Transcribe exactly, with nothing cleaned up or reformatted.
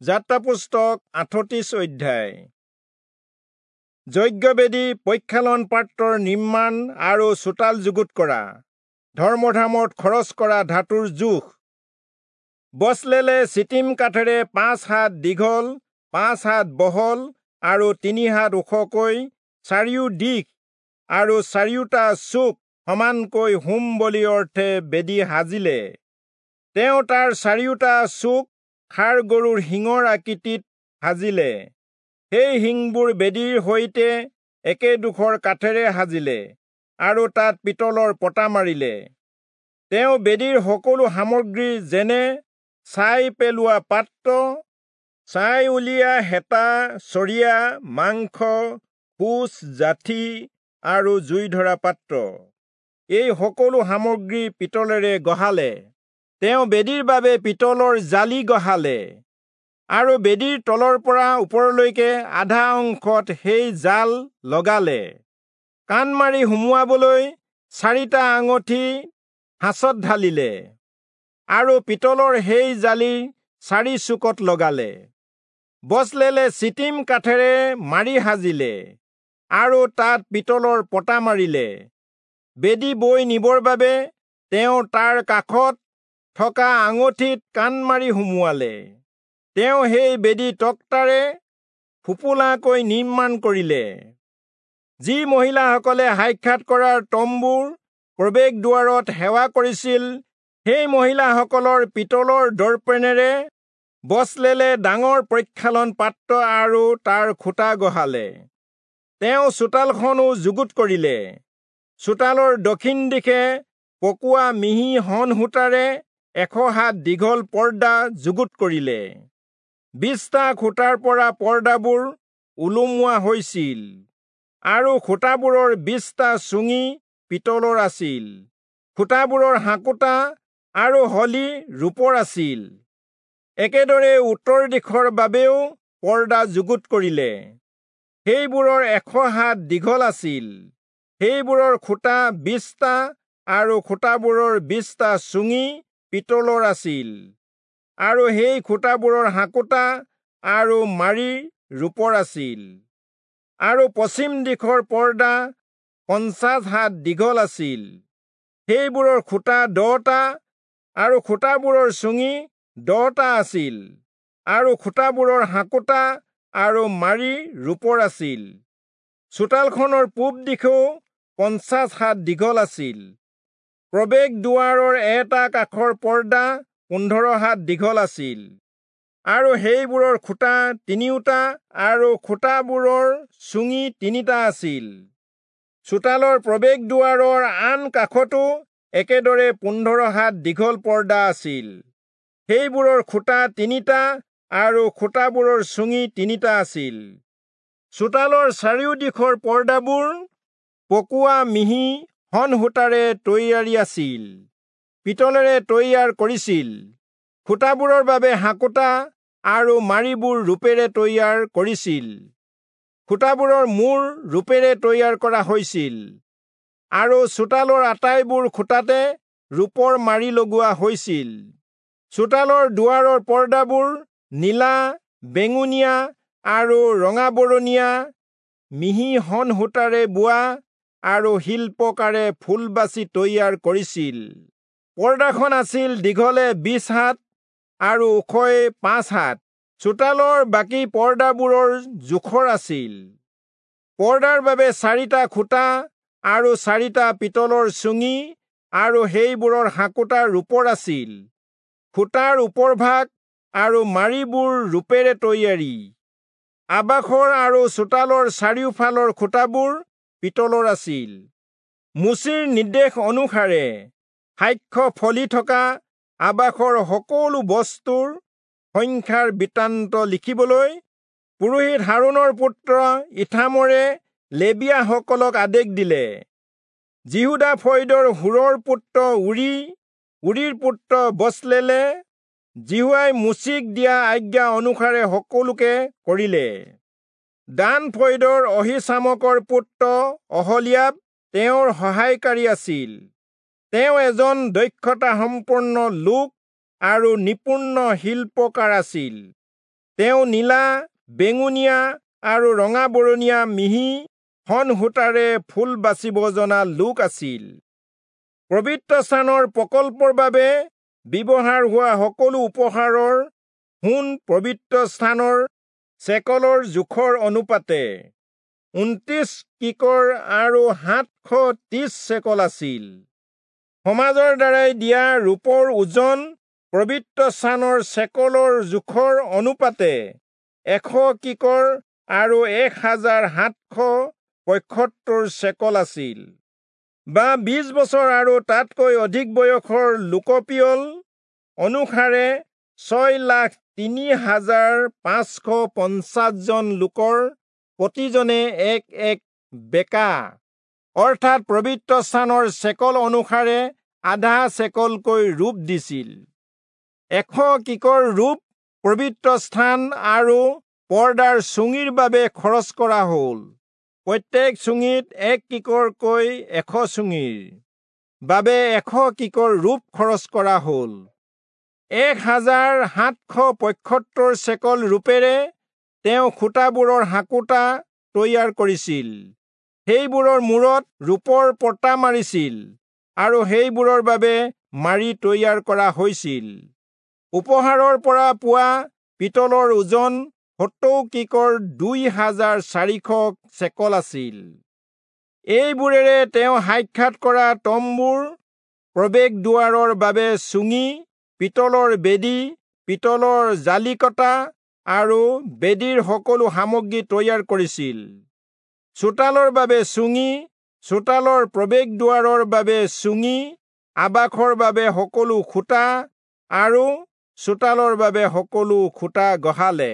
যাত্ৰা পুস্তক আঠত্ৰিশ অধ্যায়। যজ্ঞবেদী, প্ৰক্ষালন পাত্ৰৰ নিৰ্মাণ আৰু চোতাল যুগুত কৰা, ধৰ্মধামত খৰচ কৰা ধাতুৰ জোখ। বচলেলে চিটিম কাঠেৰে পাঁচ হাত দীঘল, পাঁচ হাত বহল আৰু তিনি হাত ওখকৈ চাৰিও দিশ আৰু চাৰিওটা চুক সমানকৈ হোম বলি অৰ্থে বেদী সাজিলে। তেওঁ তাৰ চাৰিওটা চুক ষাঁড় গৰুৰ শিঙৰ আকৃতিত সাজিলে। সেই শিংবোৰ বেদীৰ সৈতে একেডোখৰ কাঠেৰে সাজিলে আৰু তাত পিতলৰ পতা মাৰিলে। তেওঁ বেদীৰ সকলো সামগ্ৰী যেনে ছাই পেলোৱা পাত্ৰ, ছাই উলিওৱা হেতা, চৰিয়া, মাংস, সূচ, যাঠি আৰু জুই ধৰা পাত্ৰ, এই সকলো সামগ্ৰী পিতলেৰে গঢ়ালে। তেওঁ বেদীৰ বাবে পিতলৰ জালি গঢ়ালে আৰু বেদীৰ তলৰ পৰা ওপৰলৈকে আধা অংশত সেই জাল লগালে। কাণ মাৰি সুমুৱাবলৈ চাৰিটা আঙঠি সাঁচত ঢালিলে আৰু পিতলৰ সেই জালিৰ চাৰি চুকত লগালে। বচলেলে চিটিম কাঠেৰে মাৰি সাজিলে আৰু তাত পিতলৰ পতা মাৰিলে। বেদী বৈ নিবৰ বাবে তেওঁ তাৰ কাষত থকা আঙঠিত কাণ মাৰি সুমুৱালে। তেওঁ সেই বেদী তক্তাৰে ফোঁপোলাকৈ নিৰ্মাণ কৰিলে। যি মহিলাসকলে সাক্ষাৎ কৰাৰ তম্বুৰ প্ৰৱেশ দুৱাৰত সেৱা কৰিছিল, সেই মহিলাসকলৰ পিতলৰ দৰ্পণেৰে বচলেলে ডাঙৰ প্ৰক্ষালন পাত্ৰ আৰু তাৰ খুঁটা গঢ়ালে। তেওঁ চোতালখনো যুগুত কৰিলে। চোতালৰ দক্ষিণ দিশে পকোৱা মিহি শণ সূতাৰে এশ হাত দীঘল পৰ্দা যুগুত কৰিলে। বিশটা খুঁটাৰ পৰা পৰ্দাবোৰ ওলোমোৱা হৈছিল আৰু খুঁটাবোৰৰ বিশটা চুঙি পিতলৰ আছিল। খুঁটাবোৰৰ হাঁকোটা আৰু হলি ৰূপৰ আছিল। একেদৰে উত্তৰ দিশৰ বাবেও পৰ্দা যুগুত কৰিলে। সেইবোৰৰ এশ হাত দীঘল আছিল। সেইবোৰৰ খুঁটা বিশটা আৰু খুঁটাবোৰৰ বিশটা চুঙি পিতলৰ আছিল আৰু সেই খুঁটাবোৰৰ হাঁকোটা আৰু মাৰি ৰূপৰ আছিল। আৰু পশ্চিম দিশৰ পৰ্দা পঞ্চাশ হাত দীঘল আছিল। সেইবোৰৰ খুঁটা দহটা আৰু খুঁটাবোৰৰ চুঙি দহটা আছিল আৰু খুঁটাবোৰৰ হাঁকোটা আৰু মাৰি ৰূপৰ আছিল। চোতালখনৰ পূব দিশেও পঞ্চাশ হাত দীঘল আছিল। প্ৰৱেশ দুৱাৰৰ এটা কাষৰ পৰ্দা পোন্ধৰ হাত দীঘল আছিল আৰু সেইবোৰৰ খুঁটা তিনিওটা আৰু খুঁটাবোৰৰ চুঙি তিনিটা আছিল। চোতালৰ প্ৰৱেশ দুৱাৰৰ আন কাষতো একেদৰে পোন্ধৰ হাত দীঘল পৰ্দা আছিল। সেইবোৰৰ খুঁটা তিনিটা আৰু খুঁটাবোৰৰ চুঙি তিনিটা আছিল। চোতালৰ চাৰিওদিশৰ পৰ্দাবোৰ পকোৱা মিহি শণ সূতাৰে তৈয়াৰী আছিল, পিতলেৰে তৈয়াৰ কৰিছিল। খুঁটাবোৰৰ বাবে হাঁকোটা আৰু মাৰিবোৰ ৰূপেৰে তৈয়াৰ কৰিছিল। খুঁটাবোৰৰ মূৰ ৰূপেৰে তৈয়াৰ কৰা হৈছিল আৰু চোতালৰ আটাইবোৰ খুঁটাতে ৰূপৰ মাৰি লগোৱা হৈছিল। চোতালৰ দুৱাৰৰ পৰ্দাবোৰ নীলা, বেঙুনীয়া আৰু ৰঙাবৰণীয়া মিহি শণ সূতাৰে বোৱা আৰু শিল্পকাৰে ফুল বাচি তৈয়াৰ কৰিছিল। পৰ্দাখন আছিল দীঘলে বিশ হাত আৰু ওখই পাঁচ হাত। চোতালৰ বাকী পৰ্দাবোৰৰ জোখৰ আছিল। পৰ্দাৰ বাবে চাৰিটা খুঁটা আৰু চাৰিটা পিতলৰ চুঙি আৰু সেইবোৰৰ হাঁকোটা ৰূপৰ আছিল। খুঁটাৰ ওপৰভাগ আৰু মাৰিবোৰ ৰূপেৰে তৈয়াৰী। আবাসৰ আৰু চোতালৰ চাৰিওফালৰ খুঁটাবোৰ পিতলৰ আছিল। মোচিৰ নিৰ্দেশ অনুসাৰে সাক্ষ্য ফলি থকা আবাসৰ সকলো বস্তুৰ সংখ্যাৰ বৃত্তান্ত লিখিবলৈ পুৰোহিত হাৰোণৰ পুত্ৰ ইথামৰে লেবীয়াসকলক আদেশ দিলে। যিহূদা ফৈদৰ হূৰৰ পুত্ৰ ঊৰী, ঊৰীৰ পুত্ৰ বচলেলে যিহোৱাই মোচিক দিয়া আজ্ঞা অনুসাৰে সকলোকে কৰিলে। দান ফৈদৰ অহীচামকৰ পুত্ৰ অহলীয়াব তেওঁৰ সহায়কাৰী আছিল। তেওঁ এজন দক্ষতাসম্পন্ন লোক আৰু নিপুণ শিল্পকাৰ আছিল। তেওঁ নীলা, বেঙুনীয়া আৰু ৰঙা বৰণীয়া মিহি শণ সূতাৰে ফুল বাচিব জনা লোক আছিল। পবিত্ৰ স্থানৰ প্ৰকল্পৰ বাবে ব্যৱহাৰ হোৱা সকলো উপহাৰৰ সোণ পবিত্ৰ স্থানৰ চেকলৰ জোখৰ অনুপাতে ঊনত্ৰিশ কিকৰ আৰু সাতশ ত্ৰিশ চেকল আছিল। সমাজৰ দ্বাৰাই দিয়া ৰূপৰ ওজন পবিত্ৰ স্থানৰ চেকলৰ জোখৰ অনুপাতে এশ কিকৰ আৰু এক হাজাৰ সাতশ পঁয়সত্তৰ চেকল আছিল। বা বিশ বছৰ আৰু তাতকৈ অধিক বয়সৰ লোকপিয়ল অনুসাৰে ছয় লাখ তিনি হাজাৰ পাঁচশ পঞ্চাশজন লোকৰ প্ৰতিজনে এক এক বেকা, অৰ্থাৎ পবিত্ৰ স্থানৰ চেকল অনুসাৰে আধা চেকলকৈ ৰূপ দিছিল। এশ কিকৰ ৰূপ পবিত্ৰ স্থান আৰু পৰ্দাৰ চুঙিৰ বাবে খৰচ কৰা হ'ল। প্ৰত্যেক চুঙিত এক কিকৰকৈ এশ চুঙিৰ বাবে এশ কিকৰ ৰূপ খৰচ কৰা হ'ল। এক হাজাৰ সাতশ পঁয়সত্তৰ চেকল ৰূপেৰে তেওঁ খুঁটাবোৰৰ হাঁকোটা তৈয়াৰ কৰিছিল। সেইবোৰৰ মূৰত ৰূপৰ পতা মাৰিছিল আৰু সেইবোৰৰ বাবে মাৰি তৈয়াৰ কৰা হৈছিল। উপহাৰৰ পৰা পোৱা পিতলৰ ওজন সত্তৰ কিকৰ দুই হাজাৰ চাৰিশ চেকল আছিল। এইবোৰেৰে তেওঁ সাক্ষাৎ কৰা তম্বুৰ প্ৰৱেশ দুৱাৰৰ বাবে চুঙি, পিতলৰ বেদী, পিতলৰ জালিকটা আৰু বেদীৰ সকলো সামগ্ৰী তৈয়াৰ কৰিছিল। চোতালৰ বাবে চুঙি, চোতালৰ প্ৰৱেশ দুৱাৰৰ বাবে চুঙি, আবাসৰ বাবে সকলো খুঁটা আৰু চোতালৰ বাবে সকলো খুঁটা গঢ়ালে।